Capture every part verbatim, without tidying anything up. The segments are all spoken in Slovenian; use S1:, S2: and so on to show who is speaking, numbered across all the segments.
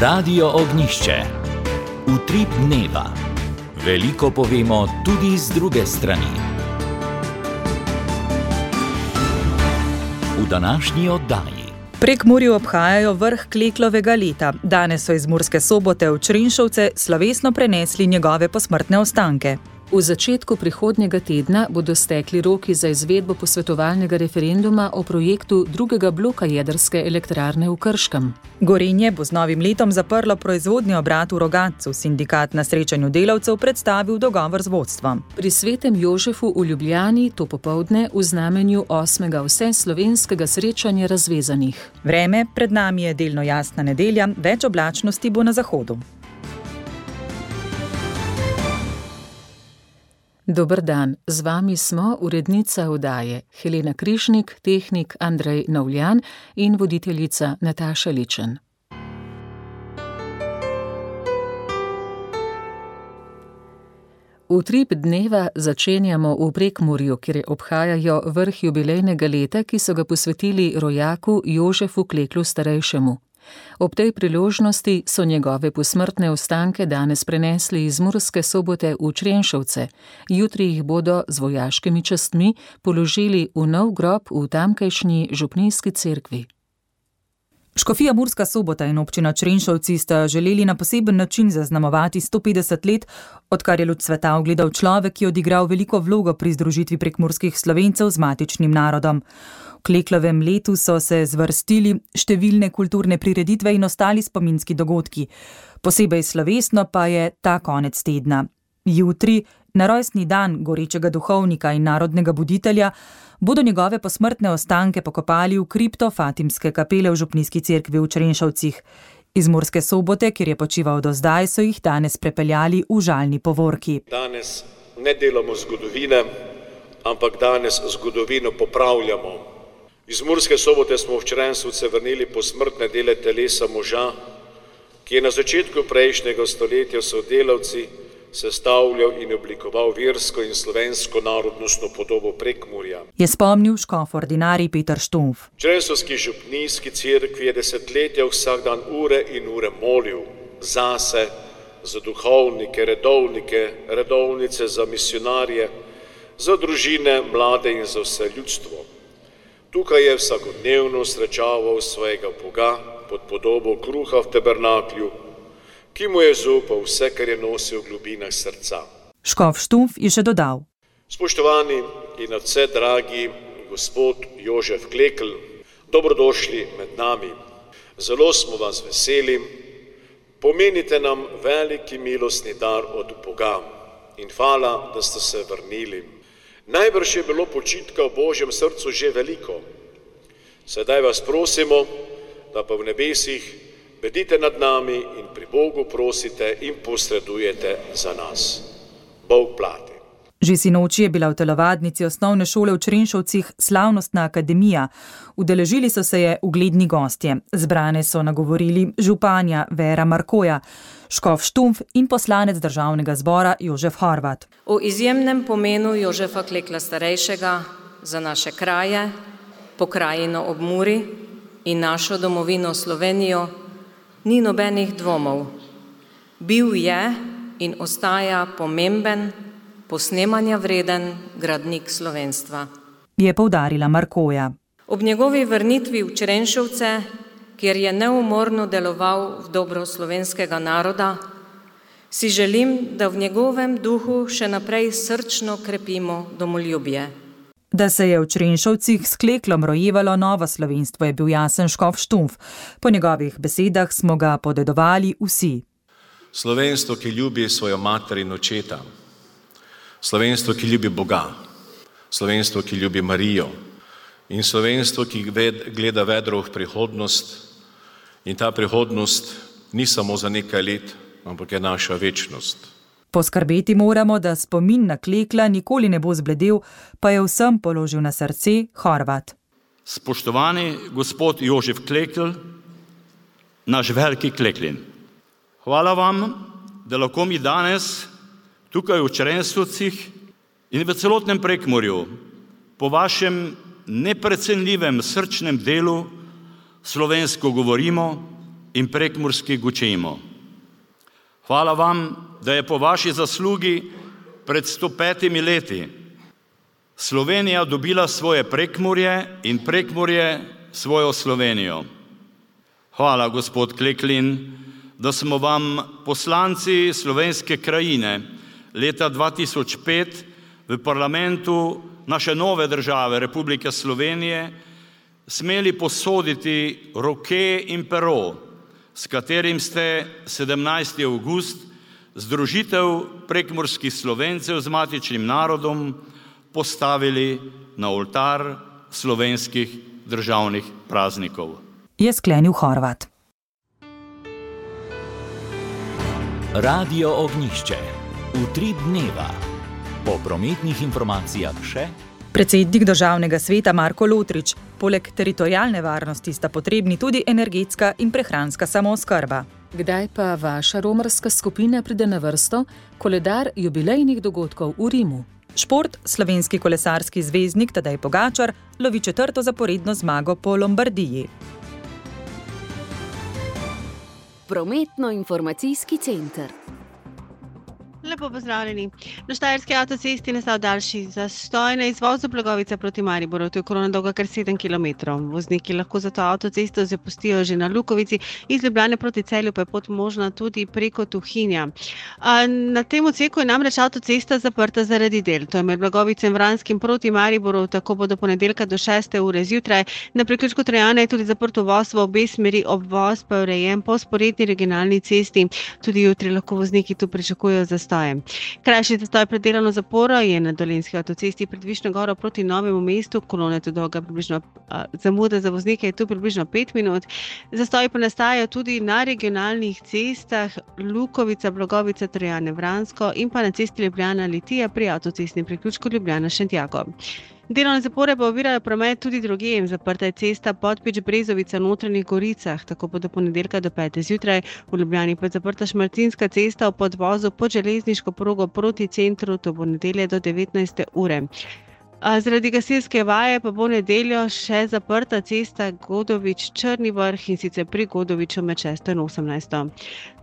S1: Radio Ognjišče. Utrip dneva. Veliko povemo tudi z druge strani. V današnji oddaji.
S2: Prekmurju obhajajo vrh Kleklovega leta. Danes so iz Murske Sobote v Črenšovce slovesno prenesli njegove posmrtne ostanke.
S3: V začetku prihodnjega tedna bodo stekli roki za izvedbo posvetovalnega referenduma o projektu drugega bloka jedrske elektrarne v Krškem.
S2: Gorenje bo z novim letom zaprlo proizvodni obrat v Rogatcu. Sindikat na srečanju delavcev predstavil dogovor z vodstvom.
S3: Pri Svetem Jožefu v Ljubljani to popoldne v znamenju osmega vseslovenskega srečanja razvezanih.
S2: Vreme pred nami je delno jasna nedelja, več oblačnosti bo na zahodu.
S3: Dober dan, z vami smo urednica oddaje Helena Križnik, tehnik Andrej Novljan in voditeljica Nataša Ličen. Utrip dneva začenjamo v Prekmurju, kjer obhajajo vrh jubilejnega leta, ki so ga posvetili rojaku Jožefu Kleklu starejšemu. Ob tej priložnosti so njegove posmrtne ostanke danes prenesli iz Murske Sobote v Črenšovce. Jutri jih bodo z vojaškimi častmi položili v nov grob v tamkajšnji župnijski cerkvi.
S2: Škofija Murska Sobota in občina Črenšovci sta želeli na poseben način zaznamovati sto petdeset let, odkar je luč sveta ugledal človek, ki je odigral veliko vlogo pri združitvi prekmurskih Slovencev z matičnim narodom. V Kleklovem letu so se zvrstili številne kulturne prireditve in ostali spominski dogodki. Posebej slovesno pa je ta konec tedna. Jutri, na rojstni dan gorečega duhovnika in narodnega buditelja, bodo njegove posmrtne ostanke pokopali v kripto Fatimske kapele v župnijski cerkvi v Črenšovcih. Iz Murske Sobote, kjer je počival do zdaj, so jih danes prepeljali v žalni povorki.
S4: Danes ne delamo zgodovine, ampak danes zgodovino popravljamo. Iz Murske Sobote smo v Črenšovce vrnili posmrtne dele telesa moža, ki je na začetku prejšnjega stoletja sodelavci sestavljal in oblikoval versko in slovensko narodnostno podobo Prekmurja.
S2: Je spomnil škof ordinarij Peter Štumf.
S4: V Črenšovski župnijski cerkvi je desetletja vsak dan ure in ure molil zase, za duhovnike, redovnike, redovnice, za misionarje, za družine, mlade in za vse ljudstvo. Tukaj je vsakodnevno srečaval svojega Boga pod podobo kruha v tabernaklju, ki mu je zaupal vse, kar je nosil v globinah srca.
S2: Škof Štumf je še dodal.
S4: Spoštovani in nadvse dragi gospod Jožef Klekl, dobrodošli med nami. Zelo smo vas veseli, pomenite nam veliki milostni dar od Boga in hvala, da ste se vrnili. Najbrž je bilo počitka v Božjem srcu že veliko. Sedaj vas prosimo, da pa v nebesih bedite nad nami in pri Bogu prosite in posredujete za nas. Bog plati.
S2: Že sinoči je bila v telovadnici osnovne šole v Črenšovcih slavnostna akademija. Udeležili so se je ugledni gostje. Zbrane so nagovorili županja Vera Markoja, škof Štumf in poslanec državnega zbora Jožef Horvat.
S5: O izjemnem pomenu Jožefa Klekla starejšega za naše kraje, pokrajino ob Muri in našo domovino Slovenijo ni nobenih dvomov. Bil je in ostaja pomemben, posnemanja vreden gradnik slovenstva,
S2: je poudarila Markoja.
S5: Ob njegovi vrnitvi v Črenšovce, kjer je neumorno deloval v dobro slovenskega naroda, si želim, da v njegovem duhu še naprej srčno krepimo domoljubje.
S2: Da se je v Črenšovcih s Kleklom rojevalo novo slovenstvo, je bil jasen škof Štumf. Po njegovih besedah smo ga podedovali vsi.
S6: Slovenstvo, ki ljubi svojo mater in očeta. Slovenstvo, ki ljubi Boga. Slovenstvo, ki ljubi Marijo. In slovenstvo, ki gleda vedro v prihodnost. In ta prihodnost ni samo za nekaj let, ampak je naša večnost.
S2: Poskrbeti moramo, da spomin na Klekla nikoli ne bo zbledel, pa je vsem položil na srce Horvat.
S7: Spoštovani gospod Jožef Klekl, naš veliki Kleklin. Hvala vam, da lahko mi danes tukaj v Črenšovcih in v celotnem Prekmurju po vašem neprecenljivem srčnem delu slovensko govorimo in prekmurski Gučemo. Hvala vam, da je po vaši zaslugi pred sto petimi leti Slovenija dobila svoje Prekmurje in Prekmurje svojo Slovenijo. Hvala, gospod Kleklin, da smo vam poslanci Slovenske krajine leta dva tisoč pet v parlamentu naše nove države Republike Slovenije smeli posoditi roke in pero, s katerim ste sedemnajstega avgusta združitev prekmurskih Slovencev z matičnim narodom postavili na oltar slovenskih državnih praznikov.
S2: Je sklenil Horvat.
S1: Radio Ognjišče. Utrip dneva. Po prometnih informacijah še
S2: Predsednik Državnega sveta Marko Lotrič: poleg teritorialne varnosti sta potrebni tudi energetska in prehranska samooskrba.
S3: Kdaj pa vaša romarska skupina pride na vrsto? Koledar jubilejnih dogodkov v Rimu.
S2: Šport, slovenski kolesarski zvezdnik Tadej Pogačar lovi četrto zaporedno zmago po Lombardiji.
S8: Prometno-informacijski center.
S9: Lepo pozdravljeni. Na štajerski avtocesti nastal daljši zastoj na izvozu Blagovica proti Mariboru. To je kolona dolga kar sedem kilometrov. Vozniki lahko zato avtocesto zapustijo že na Lukovici, iz Ljubljane proti Celju pa je pot možna tudi preko Tuhinja. Na tem odseku je namreč avtocesta zaprta zaradi del. To je med Blagovicem Vranskim proti Mariboru, tako bo do ponedeljka do šeste ure zjutraj. Na priključku Trojane je tudi zaprt uvoz v obe smeri, obvoz pa je urejen po vzporedni regionalni cesti. Tudi jutri lahko vozniki tu pričakujejo zastoj. Krajši zastoj pred delovno zaporo je na Dolenjski avtocesti pred Višnjo Goro proti Novemu mestu, kolona je tu dolga približno, zamuda za voznike je tu približno pet minut. Zastoji pa nastajajo tudi na regionalnih cestah Lukovica, Blagovica, Trojane, Vransko in pa na cesti Ljubljana Litija pri avtocestnem priključku Ljubljana Šentjakov. Delovne zapore pa ovirajo promet tudi drugje. Zaprta je cesta Podpič-Brezovica v Notranjih Goricah, tako bo do ponedeljka do pete zjutraj. V Ljubljani pa je zaprta Šmartinska cesta v podvozu pod železniško progo proti centru, to bo nedelje do devetnajste ure. Zaradi gasilske vaje pa bo nedeljo še zaprta cesta Godovič-Črni vrh, in sicer pri Godoviču med šesto in osemnajsto.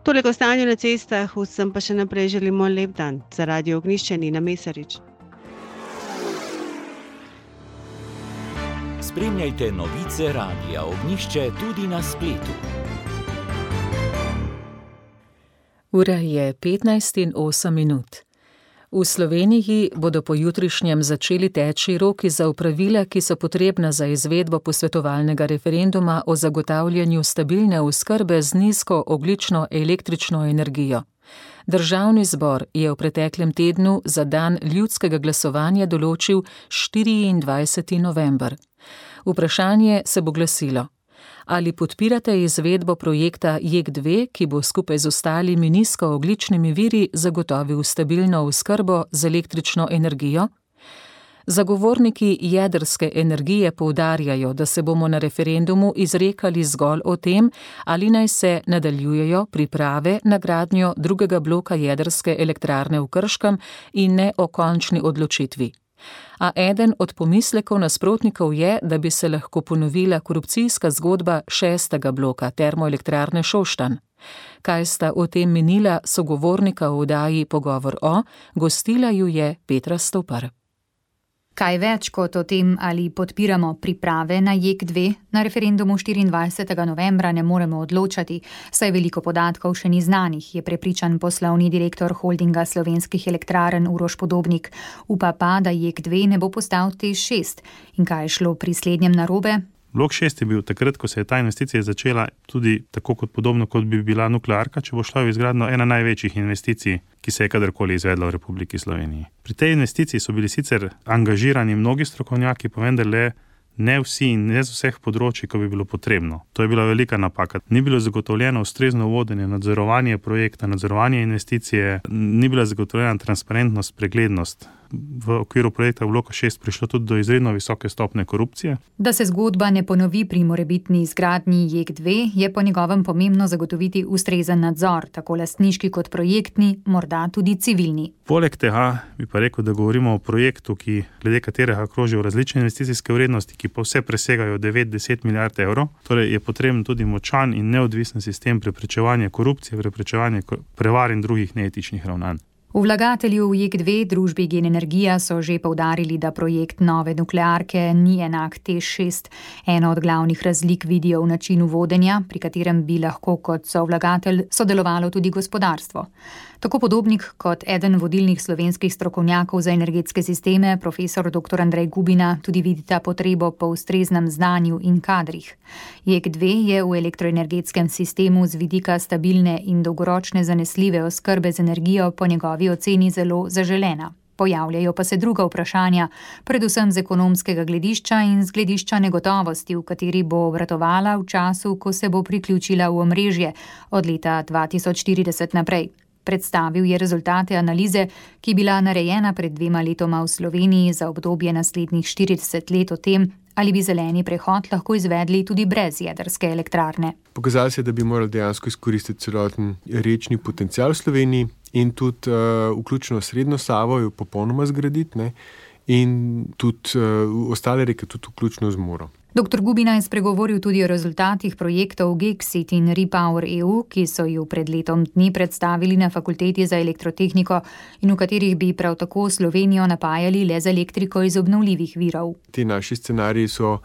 S9: Toliko o stanju na cestah, vsem pa še naprej želimo lep dan. Za Radio Ognjišče Nina Mesarič.
S1: Spremljajte novice Radia Ognjišče tudi na spletu.
S3: Ura je petnajst in osem minut. V Sloveniji bodo pojutrišnjem začeli teči roki za opravila, ki so potrebna za izvedbo posvetovalnega referenduma o zagotavljanju stabilne oskrbe z nizko ogljično električno energijo. Državni zbor je v preteklem tednu za dan ljudskega glasovanja določil štiriindvajseti november. Vprašanje se bo glasilo: ali podpirate izvedbo projekta J E K dve, ki bo skupaj z ostalimi nizkoogljičnimi viri zagotovil stabilno oskrbo z električno energijo? Zagovorniki jedrske energije poudarjajo, da se bomo na referendumu izrekali zgolj o tem, ali naj se nadaljujejo priprave na gradnjo drugega bloka jedrske elektrarne v Krškem in ne o končni odločitvi. A eden od pomislekov nasprotnikov je, da bi se lahko ponovila korupcijska zgodba šestega bloka termoelektrarne Šoštanj. Kaj sta o tem menila sogovornika v oddaji Pogovor o, gostila ju je Petra Stopar.
S10: Kaj več kot o tem, ali podpiramo priprave na J E K dve, na referendumu štiriindvajsetega novembra ne moremo odločati, saj veliko podatkov še ni znanih, je prepričan poslovni direktor holdinga slovenskih elektrarn Uroš Podobnik. Upa pa, da J E K dve ne bo postal T E Š šest. In kaj je šlo pri slednjem narobe?
S11: Blok šest je bil takrat, ko se je ta investicija začela, tudi tako kot podobno, kot bi bila nuklearka, če bo šla v izgradnjo ena največjih investicij, ki se je kadarkoli izvedla v Republiki Sloveniji. Pri tej investiciji so bili sicer angažirani mnogi strokovnjaki, pa vendarle ne vsi in ne z vseh področij, ko bi bilo potrebno. To je bila velika napaka. Ni bilo zagotovljeno ustrezno vodenje, nadzorovanje projekta, nadzorovanje investicije, ni bila zagotovljena transparentnost, preglednost v okviru projekta Bloka šest prišlo tudi do izredno visoke stopnje korupcije.
S10: Da se zgodba ne ponovi pri morebitni izgradnji J E K dve, je po njegovem pomembno zagotoviti ustrezen nadzor, tako lastniški kot projektni, morda tudi civilni.
S11: Poleg tega bi pa rekel, da govorimo o projektu, ki glede katerega krožijo različne investicijske vrednosti, ki pa vse presegajo devet do deset milijard evrov. Torej je potreben tudi močan in neodvisen sistem preprečevanja korupcije, preprečevanja prevar in drugih neetičnih ravnanj.
S10: Vlagatelji v J E K dve, družbi Gen Energija, so že poudarili, da projekt nove nuklearke ni enak T E Š šest. Eno od glavnih razlik vidijo v načinu vodenja, pri katerem bi lahko kot sovlagatelj sodelovalo tudi gospodarstvo. Tako Podobnik kot eden vodilnih slovenskih strokovnjakov za energetske sisteme, profesor doktor Andrej Gubina, tudi vidita potrebo po ustreznem znanju in kadrih. J E K dve je v elektroenergetskem sistemu z vidika stabilne in dolgoročne zanesljive oskrbe z energijo po njegovi oceni zelo zaželena. Pojavljajo pa se druga vprašanja, predvsem z ekonomskega gledišča in z gledišča negotovosti, v kateri bo obratovala v času, ko se bo priključila v omrežje od leta dva tisoč štirideset naprej. Predstavil je rezultate analize, ki je bila narejena pred dvema letoma v Sloveniji za obdobje naslednjih štirideset let o tem, ali bi zeleni prehod lahko izvedli tudi brez jedrske elektrarne.
S8: Pokazalo se je, da bi morali dejansko izkoristiti celoten rečni potencial v Sloveniji in tudi uh, vključno srednjo Savo jo popolnoma zgraditi, ne, in tudi uh, ostale reke tudi vključno z Muro.
S10: Doktor Gubina je spregovoril tudi o rezultatih projektov Geksit in Repower E U, ki so ju pred letom dni predstavili na Fakulteti za elektrotehniko in v katerih bi prav tako Slovenijo napajali le z elektriko iz obnovljivih virov.
S8: Ti naši scenariji so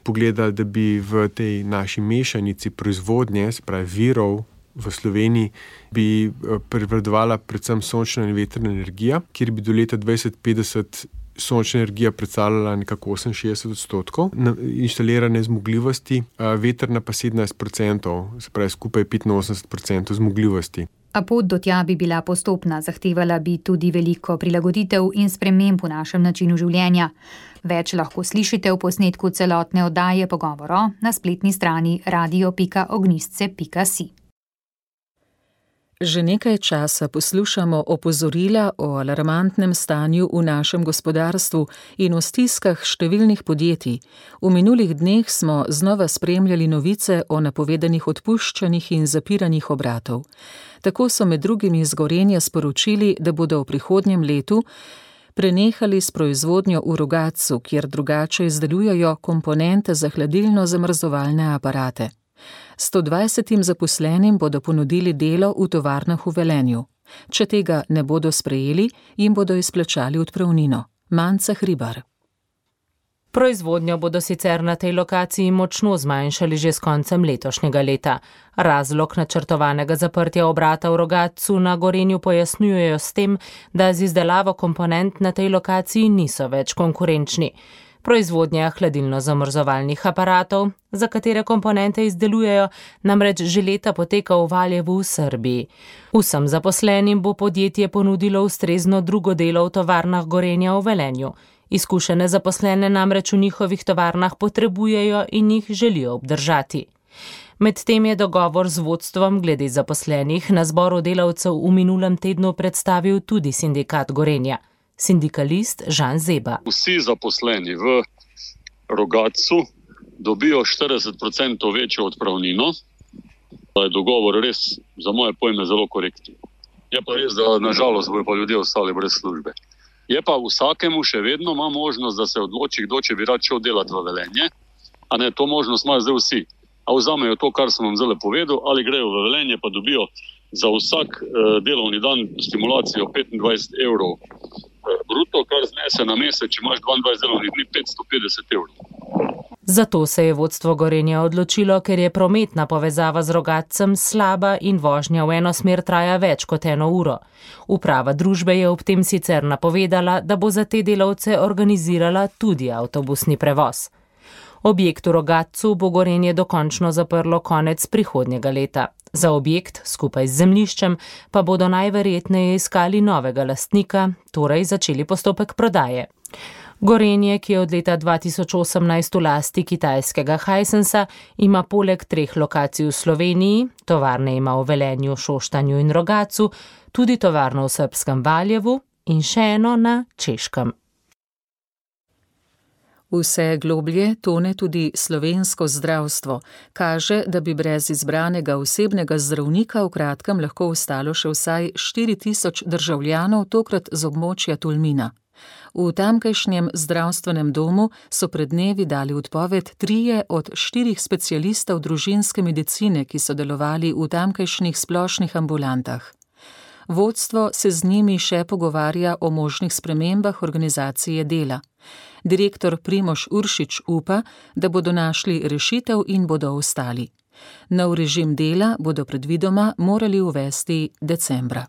S8: pogledali, da bi v tej naši mešanici proizvodnje, spravi virov v Sloveniji, bi prevladovala predvsem sončna in vetrna energija, kjer bi do leta dvajset petdeset sončna energija predstavljala nekako oseminšestdeset odstotkov inštalirane zmogljivosti, vetrna pa sedemnajst procentov, se pravi skupaj petinosemdeset procentov zmogljivosti.
S10: A pot do tja bi bila postopna, zahtevala bi tudi veliko prilagoditev in sprememb v našem načinu življenja. Več lahko slišite v posnetku celotne oddaje Pogovora na spletni strani radio pika ognjišče pika si.
S3: Že nekaj časa poslušamo opozorila o alarmantnem stanju v našem gospodarstvu in o stiskah številnih podjetij. V minulih dneh smo znova spremljali novice o napovedanih odpuščanjih in zapiranjih obratov. Tako so med drugim iz Gorenja sporočili, da bodo v prihodnjem letu prenehali s proizvodnjo v Rogatcu, kjer drugače izdelujejo komponente za hladilno-zamrzovalne aparate. sto dvajsetim zaposlenim bodo ponudili delo v tovarnah v Velenju. Če tega ne bodo sprejeli, jim bodo izplačali odpravnino. Manca Hribar.
S12: Proizvodnjo bodo sicer na tej lokaciji močno zmanjšali že s koncem letošnjega leta. Razlog načrtovanega zaprtja obrata v Rogatcu na Gorenju pojasnjujejo s tem, da z izdelavo komponent na tej lokaciji niso več konkurenčni. Proizvodnja hladilno-zamrzovalnih aparatov, za katere komponente izdelujejo, namreč že leta poteka v Valjevu v Srbiji. Vsem zaposlenim bo podjetje ponudilo ustrezno drugo delo v tovarnah Gorenja v Velenju. Izkušene zaposlene namreč v njihovih tovarnah potrebujejo in jih želijo obdržati. Medtem je dogovor z vodstvom glede zaposlenih na zboru delavcev v minulem tednu predstavil tudi sindikat Gorenja. Sindikalist Žan Zeba.
S13: Vsi zaposleni v Rogatcu dobijo štirideset procentov večjo odpravnino, da je dogovor res za moje pojme zelo korekten. Je pa res, da nažalost bojo pa ljudje ostali brez službe. Je pa vsakemu še vedno ima možnost, da se odloči, kdo če bi rad šel delati v Velenje, a ne, to možnost imajo zdaj vsi. A vzamejo to, kar sem vam zdaj povedal, ali grejo v Velenje pa dobijo za vsak eh, delovni dan stimulacijo petindvajset evrov bruto, kar znese na mesec, če imaš dvaindvajset delovnih dni, petsto petdeset evrov.
S12: Zato se je vodstvo Gorenja odločilo, ker je prometna povezava z Rogatcem slaba in vožnja v eno smer traja več kot eno uro. Uprava družbe je ob tem sicer napovedala, da bo za te delavce organizirala tudi avtobusni prevoz. Objekt v Rogatcu bo Gorenje dokončno zaprlo konec prihodnjega leta. Za objekt, skupaj z zemljiščem, pa bodo najverjetneje iskali novega lastnika, torej začeli postopek prodaje. Gorenje, ki je od leta dva tisoč osemnajst v lasti kitajskega Hisensa, ima poleg treh lokacij v Sloveniji, tovarne ima v Velenju, Šoštanju in Rogatcu, tudi tovarno v srbskem Valjevu in še eno na Češkem.
S3: Vse globlje tone tudi slovensko zdravstvo. Kaže, da bi brez izbranega osebnega zdravnika v kratkem lahko ostalo še vsaj štiri tisoč državljanov, tokrat z območja Tolmina. V tamkajšnjem zdravstvenem domu so pred dnevi dali odpoved trije od štirih specialistov družinske medicine, ki so delovali v tamkajšnjih splošnih ambulantah. Vodstvo se z njimi še pogovarja o možnih spremembah organizacije dela. Direktor Primož Uršič upa, da bodo našli rešitev in bodo ostali. Nov režim dela bodo predvidoma morali uvesti decembra.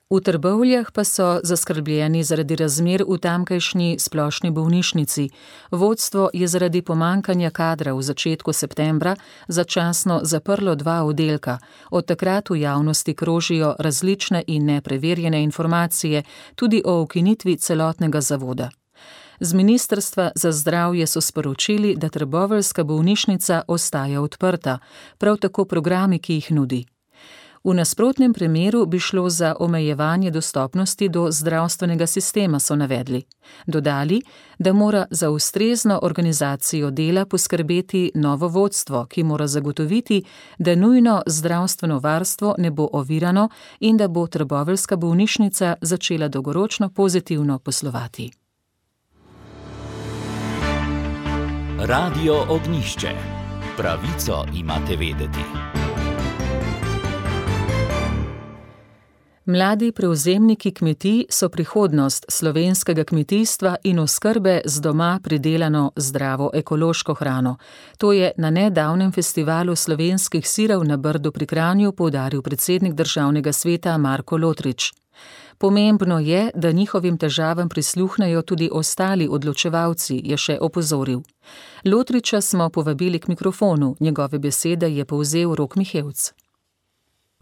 S3: V Trbovljah pa so zaskrbljeni zaradi razmer v tamkajšnji splošni bolnišnici. Vodstvo je zaradi pomankanja kadra v začetku septembra začasno zaprlo dva oddelka. Od takrat v javnosti krožijo različne in nepreverjene informacije tudi o ukinitvi celotnega zavoda. Z Ministrstva za zdravje so sporočili, da trboveljska bolnišnica ostaja odprta, prav tako programi, ki jih nudi. V nasprotnem primeru bi šlo za omejevanje dostopnosti do zdravstvenega sistema, so navedli. Dodali, da mora za ustrezno organizacijo dela poskrbeti novo vodstvo, ki mora zagotoviti, da nujno zdravstveno varstvo ne bo ovirano in da bo trboveljska bolnišnica začela dolgoročno pozitivno poslovati.
S1: Radio Ognjišče. Pravico imate vedeti.
S3: Mladi prevzemniki kmetij so prihodnost slovenskega kmetijstva in oskrbe z doma pridelano zdravo ekološko hrano. To je na nedavnem festivalu slovenskih sirov na Brdu pri Kranju poudaril predsednik državnega sveta Marko Lotrič. Pomembno je, da njihovim težavam prisluhnejo tudi ostali odločevalci, je še opozoril. Lotriča smo povabili k mikrofonu, njegove besede je povzel Rok Mihevc.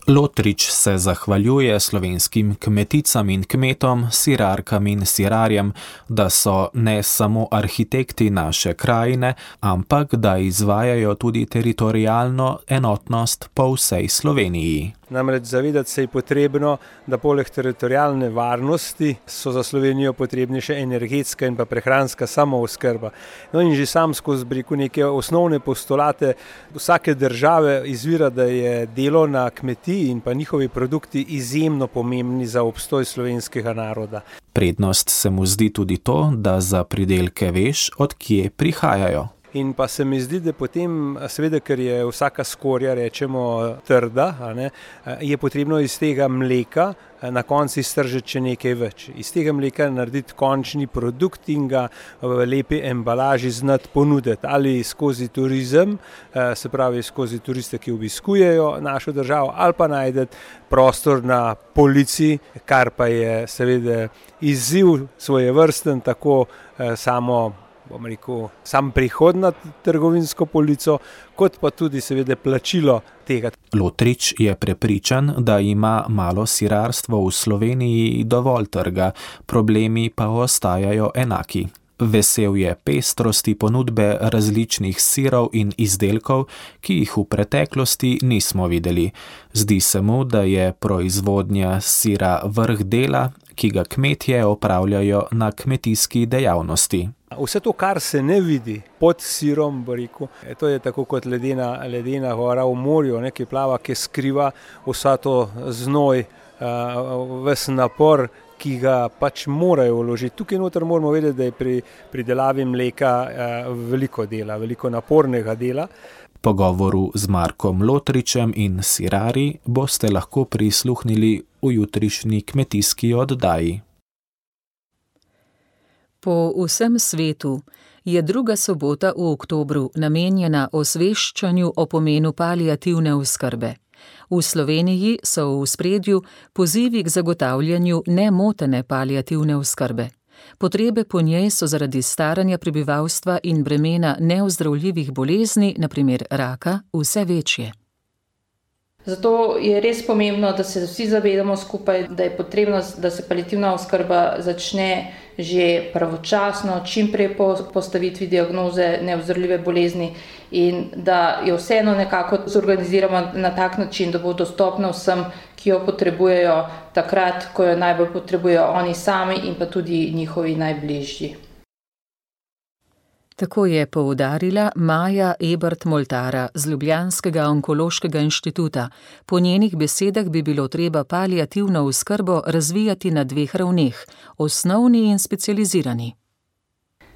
S14: Lotrič se zahvaljuje slovenskim kmeticam in kmetom, sirarkam in sirarjem, da so ne samo arhitekti naše krajine, ampak da izvajajo tudi teritorialno enotnost po vsej Sloveniji.
S15: Namreč zavedati se je potrebno, da poleg teritorialne varnosti so za Slovenijo potrebni še energetska in pa prehranska samooskrba. No in že sam skozi breku neke osnovne postulate vsake države izvira, da je delo na kmetiji in pa njihovi produkti izjemno pomembni za obstoj slovenskega naroda.
S14: Prednost se mu zdi tudi to, da za pridelke veš, od kje prihajajo.
S15: In pa se mi zdi, da potem, seveda, ker je vsaka skorja, rečemo, trda, a ne, je potrebno iz tega mleka na koncu iztržiti še nekaj več. Iz tega mleka narediti končni produkt in ga v lepi embalaži znati ponuditi. Ali skozi turizem, se pravi skozi turiste, ki obiskujejo našo državo, ali pa najdeti prostor na polici, kar pa je seveda izziv svojevrsten, tako samo bom rekel, sam prihod na trgovinsko polico, kot pa tudi seveda plačilo tega.
S14: Lotrič je prepričan, da ima malo sirarstvo v Sloveniji dovolj trga, problemi pa ostajajo enaki. Vesel je pestrosti ponudbe različnih sirov in izdelkov, ki jih v preteklosti nismo videli. Zdi se mu, da je proizvodnja sira vrh dela, ki ga kmetje opravljajo na kmetijski dejavnosti.
S15: Vse to, kar se ne vidi pod sirom, bo rekel, to je tako kot ledena, ledena gora v morju, ne, ki plava, ki skriva vsa to znoj, ves napor, ki ga pač morajo vložiti. Tukaj noter moramo vedeti, da je pri pridelavi mleka veliko dela, veliko napornega dela.
S14: Pogovoru z Markom Lotričem in sirari boste lahko prisluhnili v jutrišnji kmetijski oddaji.
S3: Po vsem svetu je druga sobota v oktobru namenjena osveščanju o pomenu paliativne oskrbe. V Sloveniji so v ospredju pozivi k zagotavljanju nemotene paliativne oskrbe. Potrebe po njej so zaradi staranja prebivalstva in bremena neozdravljivih bolezni, na primer raka, vse večje.
S16: Zato je res pomembno, da se vsi zavedamo skupaj, da je potrebno, da se paliativna oskrba začne že pravočasno, čim prej po postavitvi diagnoze neozdravljive bolezni in da jo vseeno nekako zorganiziramo na tak način, da bo dostopna vsem, ki jo potrebujejo takrat, ko jo najbolj potrebujejo oni sami in pa tudi njihovi najbližji.
S3: Tako je poudarila Maja Ebert-Moltara z Ljubljanskega onkološkega inštituta. Po njenih besedah bi bilo treba paliativno oskrbo razvijati na dveh ravneh, osnovni in specializirani.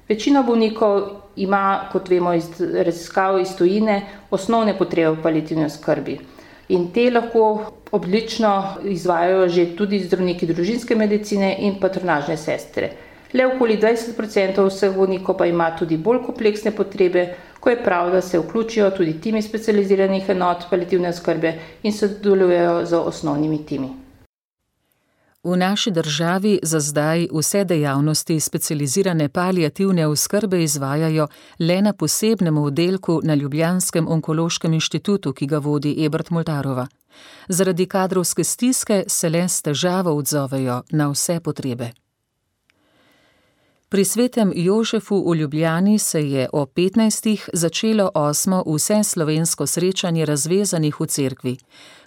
S16: Večina bolnikov ima, kot vemo iz raziskav iz tujine, osnovne potrebe v paliativni oskrbi. In te lahko odlično izvajajo že tudi zdravniki družinske medicine in patronažne sestre. Le okoli dvajset procentov vseh bolnikov pa ima tudi bolj kompleksne potrebe, ko je prav, da se vključijo tudi timi specializiranih enot paliativne oskrbe in sodelujejo z osnovnimi timi.
S3: V naši državi za zdaj vse dejavnosti specializirane paliativne oskrbe izvajajo le na posebnem oddelku na Ljubljanskem onkološkem inštitutu, ki ga vodi Ebert-Moltarova. Zaradi kadrovske stiske se le s težavo odzovejo na vse potrebe. Pri svetem Jožefu v Ljubljani se je o petnajstih začelo osmo vseslovensko srečanje razvezanih v cerkvi.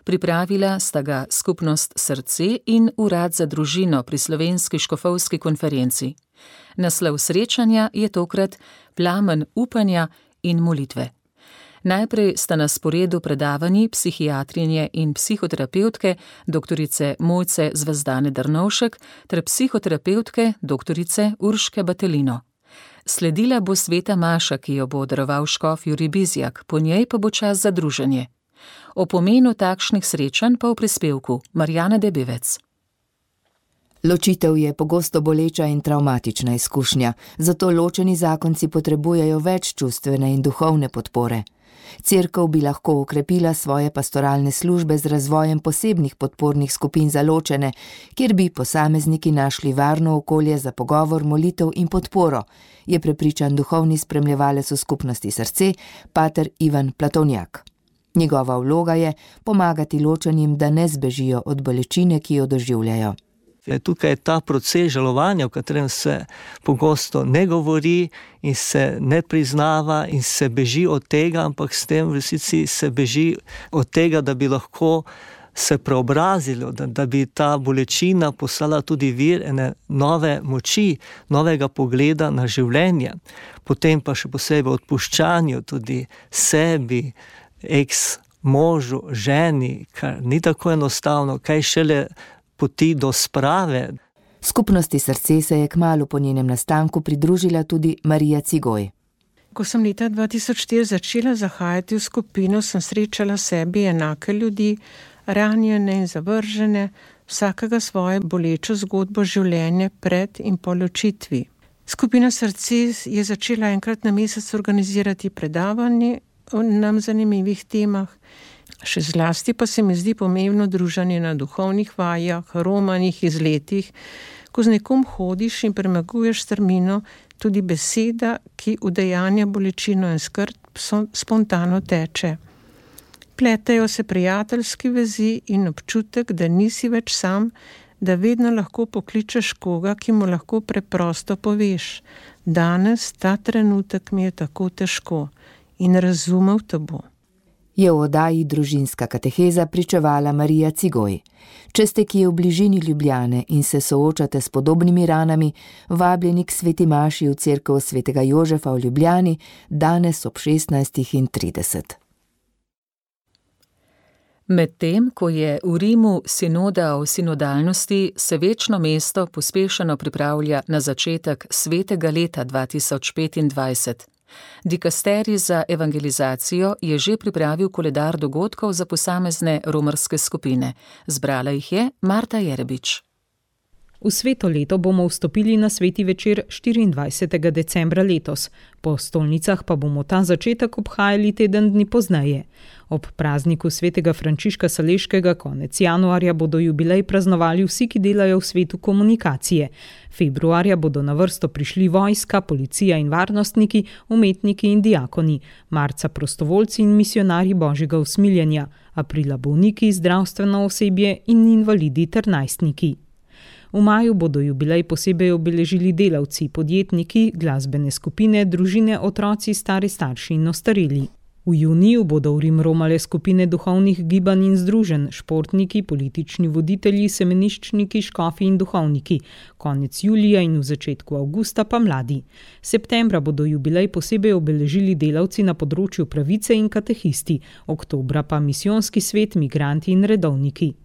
S3: Pripravila sta ga Skupnost Srce in Urad za družino pri Slovenski škofovski konferenci. Naslov srečanja je tokrat Plamen upanja in molitve. Najprej sta na sporedu predavanji psihiatrinje in psihoterapevtke doktorice Mojce Zvezdane Drnovšek ter psihoterapevtke doktorice Urške Batelino. Sledila bo sveta maša, ki jo bo daroval škof Jurij Bizjak, po njej pa bo čas za druženje. O pomenu takšnih srečanj pa v prispevku Marjana Debevec.
S17: Ločitev je pogosto boleča in travmatična izkušnja, zato ločeni zakonci potrebujejo več čustvene in duhovne podpore. Cerkev bi lahko okrepila svoje pastoralne službe z razvojem posebnih podpornih skupin za ločene, kjer bi posamezniki našli varno okolje za pogovor, molitev in podporo, je prepričan duhovni spremljevalec v Skupnosti Srce, pater Ivan Platovnjak. Njegova vloga je pomagati ločenim, da ne zbežijo od bolečine, ki jo doživljajo.
S18: Tukaj je ta proces žalovanja, v katerem se pogosto ne govori in se ne priznava in se beži od tega, ampak s tem v resnici se beži od tega, da bi lahko se preobrazilo, da, da bi ta bolečina postala tudi vir ene nove moči, novega pogleda na življenje. Potem pa še posebej odpuščanju tudi sebi, eks možu, ženi, kar ni tako enostavno, kaj šele poti do sprave.
S17: Skupnosti Srce se je kmalu po njenem nastanku pridružila tudi Marija Cigoj.
S19: Ko sem leta dva tisoč štiri začela zahajati v skupino, sem srečala sebi enake ljudi, ranjene in zavržene, vsakega svoje bolečo zgodbo življenja pred in po ločitvi. Skupina Srce je začela enkrat na mesec organizirati predavanje o nam zanimivih temah. Še zlasti pa se mi zdi pomembno druženje na duhovnih vajah, romanih, izletih, ko z nekom hodiš in premaguješ strmino, tudi beseda, ki udejanja bolečino in skrb, spontano teče. Pletejo se prijateljski vezi in občutek, da nisi več sam, da vedno lahko pokličeš koga, ki mu lahko preprosto poveš. Danes ta trenutek mi je tako težko in razumel te bo.
S17: Je v oddaji Družinska kateheza pričevala Marija Cigoj. Če ste kje v bližini Ljubljane in se soočate s podobnimi ranami, vabljeni k sveti maši v cerkev svetega Jožefa v Ljubljani danes ob šestnajstih trideset.
S3: Medtem, ko je v Rimu sinoda o sinodalnosti, se večno mesto pospešeno pripravlja na začetek svetega leta dva tisoč petindvajset. Dikasterij za evangelizacijo je že pripravil koledar dogodkov za posamezne romarske skupine. Zbrala jih je Marta Jerebič.
S20: V sveto leto bomo vstopili na sveti večer štiriindvajsetega decembra letos. Po stolnicah pa bomo ta začetek obhajali teden dni pozneje. Ob prazniku svetega Frančiška Saleškega konec januarja bodo jubilej praznovali vsi, ki delajo v svetu komunikacije. Februarja bodo na vrsto prišli vojska, policija in varnostniki, umetniki in diakoni. Marca prostovoljci in misionarji Božjega usmiljenja. Aprila bolniki, zdravstveno osebje in invalidi ter najstniki. V maju bodo jubilej posebej obeležili delavci, podjetniki, glasbene skupine, družine, otroci, stari starši in ostareli. V juniju bodo v Rim romale skupine duhovnih gibanj in združenj, športniki, politični voditelji, semeniščniki, škofi in duhovniki. Konec julija in v začetku avgusta pa mladi. Septembra bodo jubilej posebej obeležili delavci na področju pravice in katehisti, oktobra pa misijonski svet, migranti in redovniki.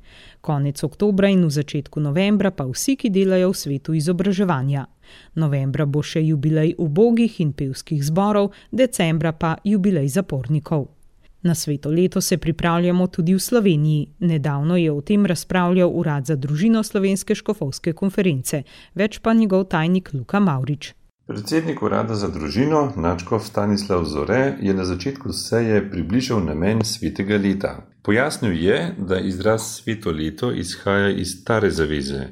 S20: Konec oktobra in v začetku novembra pa vsi, ki delajo v svetu izobraževanja. Novembra bo še jubilej ubogih in pevskih zborov, decembra pa jubilej zapornikov. Na sveto leto se pripravljamo tudi v Sloveniji. Nedavno je o tem razpravljal Urad za družino Slovenske škofovske konference, več pa njegov tajnik Luka Mavrič.
S21: Predsednik Urada za družino, nadškof Stanislav Zore, je na začetku seje približal namen svetega leta. Pojasnil je, da izraz sveto leto izhaja iz stare zaveze,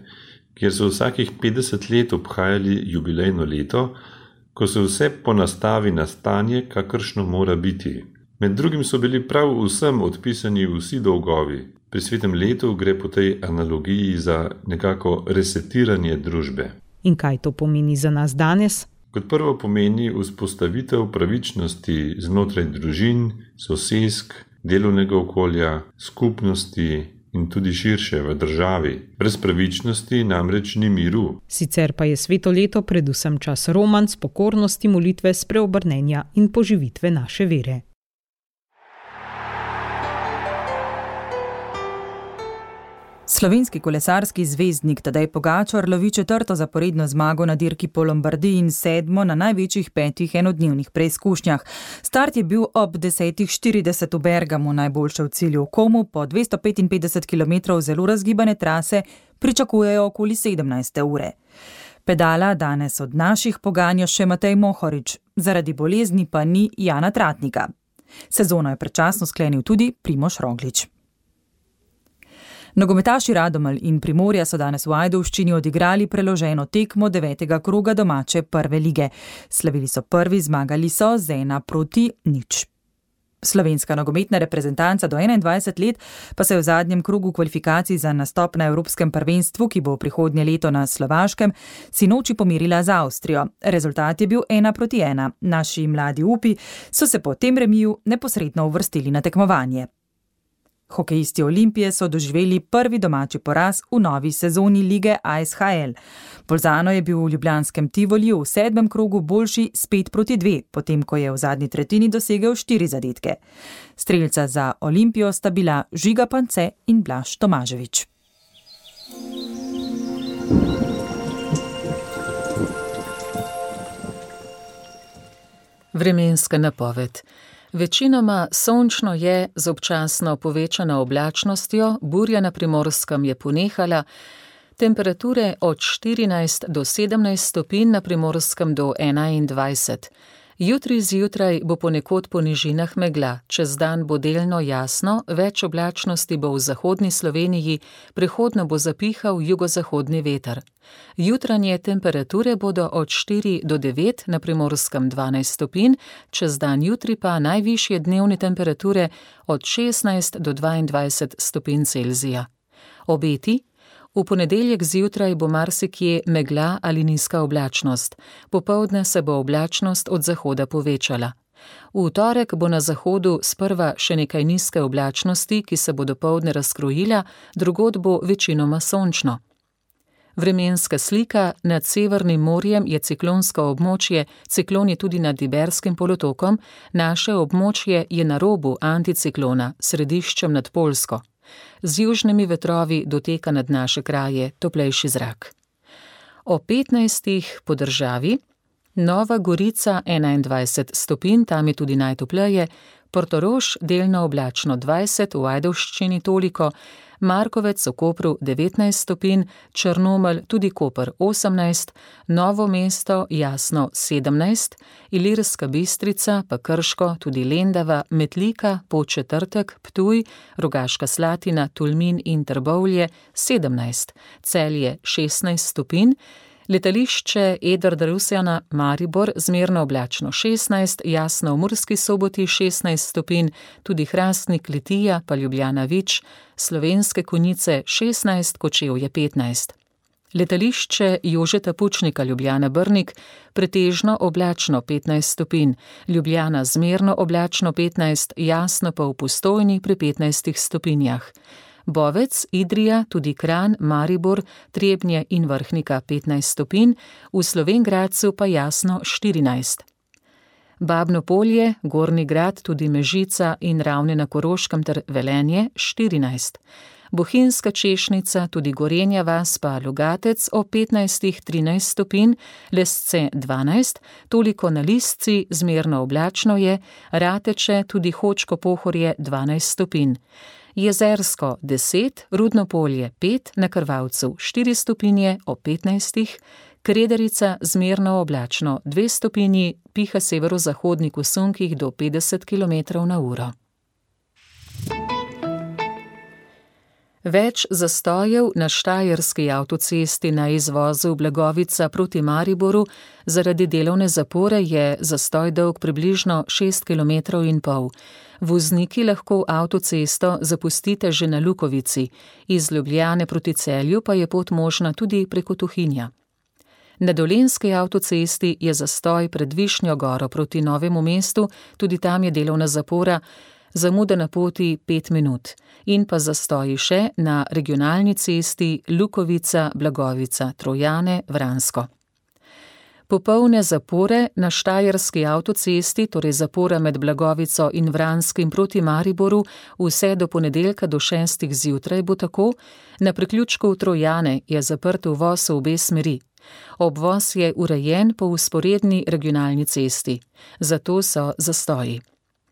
S21: kjer so vsakih petdeset let obhajali jubilejno leto, ko se vse ponastavi na stanje, kakršno mora biti. Med drugim so bili prav vsem odpisani vsi dolgovi. Pri svetem letu gre po tej analogiji za nekako resetiranje družbe.
S20: In kaj to pomeni za nas danes?
S21: Kot prvo pomeni vzpostavitev pravičnosti znotraj družin, sosesk, delovnega okolja, skupnosti in tudi širše v državi. Brez pravičnosti namreč ni miru.
S20: Sicer pa je sveto leto predvsem čas romanc, pokornosti, molitve, spreobrnenja in poživitve naše vere.
S2: Slovenski kolesarski zvezdnik Tadej Pogačar lovi četrto zaporedno zmago na dirki po Lombardiji in sedmo na največjih petih enodnevnih preizkušnjah. Start je bil ob desetih štirideset v Bergamu, najboljše v cilju v Komu, po dvesto petinpetdeset kilometrov zelo razgibane trase pričakujejo okoli sedemnajste ure. Pedala danes od naših poganja še Matej Mohorič, zaradi bolezni pa ni Jana Tratnika. Sezono je predčasno sklenil tudi Primož Roglič. Nogometaši Radomelj in Primorja so danes v Ajdovščini odigrali preloženo tekmo devetega kroga domače prve lige. Slavili so prvi, zmagali so z ena proti nič. Slovenska nogometna reprezentanca do enaindvajset let pa se je v zadnjem krogu kvalifikacij za nastop na Evropskem prvenstvu, ki bo prihodnje leto na Slovaškem, sinoči pomirila z Avstrijo. Rezultat je bil ena proti ena. Naši mladi upi so se po tem remiju neposredno uvrstili na tekmovanje. Hokejisti Olimpije so doživeli prvi domači poraz v novi sezoni lige A S H L. Bolzano je bil v ljubljanskem Tivoliju v sedmem krogu boljši s pet proti dve, potem ko je v zadnji tretjini dosegel štiri zadetke. Strelca za Olimpijo sta bila Žiga Pance in Blaž Tomaževič.
S3: Vremenska napoved. Večinoma sončno je, z občasno povečano oblačnostjo, burja na Primorskem je ponehala, temperature od štirinajst do sedemnajst stopinj na Primorskem do enaindvajset. Jutri zjutraj bo ponekod po nižinah megla, čez dan bo delno jasno, več oblačnosti bo v zahodni Sloveniji, prehodno bo zapihal jugozahodni veter. Jutranje temperature bodo od štiri do devet, na Primorskem dvanajst stopinj, čez dan jutri pa najvišje dnevne temperature od šestnajst do dvaindvajset stopinj Celzija. Obeti. V ponedeljek zjutraj bo marsikje megla ali nizka oblačnost. Popoldne se bo oblačnost od zahoda povečala. V torek bo na zahodu sprva še nekaj nizke oblačnosti, ki se bo dopoldne razkrojila, drugod bo večinoma sončno. Vremenska slika. Nad Severnim morjem je ciklonsko območje, ciklon je tudi nad Iberskim polotokom, naše območje je na robu anticiklona, središčem nad Poljsko. Z južnimi vetrovi doteka nad naše kraje toplejši zrak. O petnajstih po državi, Nova Gorica enaindvajset stopinj, tam je tudi najtopleje, Portorož delno oblačno dvajset, v Ajdovščini toliko, Markovec v Kopru devetnajst stopinj, Črnomelj, tudi Koper osemnajst, Novo mesto jasno sedemnajst, Ilirska Bistrica, pa Krško, tudi Lendava, Metlika, Podčetrtek, Ptuj, Rogaška Slatina, Tolmin in Trbovlje sedemnajst, Celje šestnajst stopinj, letališče Edvarda Rusjana Maribor zmerno oblačno šestnajst, jasno v Murski Soboti šestnajst stopinj, tudi Hrastnik Litija pa Ljubljana Vič, Slovenske Konjice šestnajst, Kočevje petnajst. Letališče Jožeta Pučnika Ljubljana Brnik pretežno oblačno petnajst stopinj, Ljubljana zmerno oblačno petnajst, jasno pa v Postojni pri petnajstih stopinjah. Bovec, Idrija, tudi Kranj, Maribor, Trebnje in Vrhnika petnajst stopinj, v Slovenj Gradcu pa jasno štirinajst. Babno Polje, Gornji Grad, tudi Mežica in Ravne na Koroškem ter Velenje štirinajst. Bohinjska Češnica, tudi Gorenja vas pa Logatec o petnajstih trinajst stopinj, Lesce dvanajst, toliko na Lisci, zmerno oblačno je, Rateče, tudi Hočko Pohorje dvanajst stopinj. Jezersko deset, Rudno Polje pet, na Krvavcu štiri stopinje o petnajstih, Krederica zmerno oblačno dve stopinji, piha severozahodnik v sunkih do petdeset kilometrov na uro. Več zastojev na Štajerski avtocesti na izvozu Blagovica proti Mariboru zaradi delovne zapore je zastoj dolg približno šest kilometrov in pol. Vozniki lahko avtocesto zapustite že na Lukovici, iz Ljubljane proti Celju pa je pot možna tudi preko Tuhinja. Na Dolenjski avtocesti je zastoj pred Višnjo Goro proti Novemu mestu, tudi tam je delovna zapora, zamuda na poti pet minut, in pa zastoji še na regionalni cesti Lukovica, Blagovica, Trojane, Vransko. Popolne zapore na Štajerski avtocesti, torej zapora med Blagovico in Vranskim proti Mariboru, vse do ponedeljka do šestih zjutraj bo tako, na priključku v Trojane je zaprt uvoz v obe smeri. Obvoz je urejen po vzporedni regionalni cesti, zato so zastoji.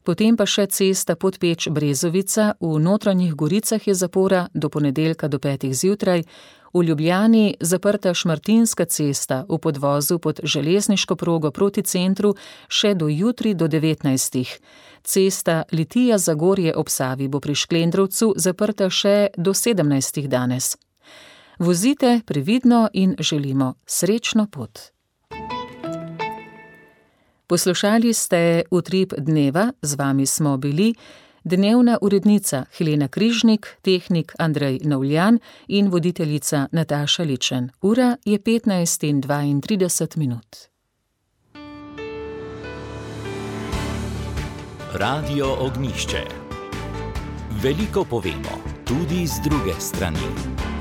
S3: Potem pa še cesta Podpeč-Brezovica, v Notranjih Goricah je zapora do ponedeljka do petih zjutraj, v Ljubljani zaprta Šmartinska cesta v podvozu pod železniško progo proti centru še do jutri do devetnajstih. Cesta Litija-Zagorje ob Savi bo pri Šklendrovcu zaprta še do sedemnajstih danes. Vozite previdno in želimo srečno pot. Poslušali ste Utrip dneva, z vami smo bili dnevna urednica Helena Križnik, tehnik Andrej Navljan in voditeljica Nataša Ličen. Ura je petnajst in dvaintrideset minut.
S1: Radio Ognjišče. Veliko povemo, tudi z druge strani.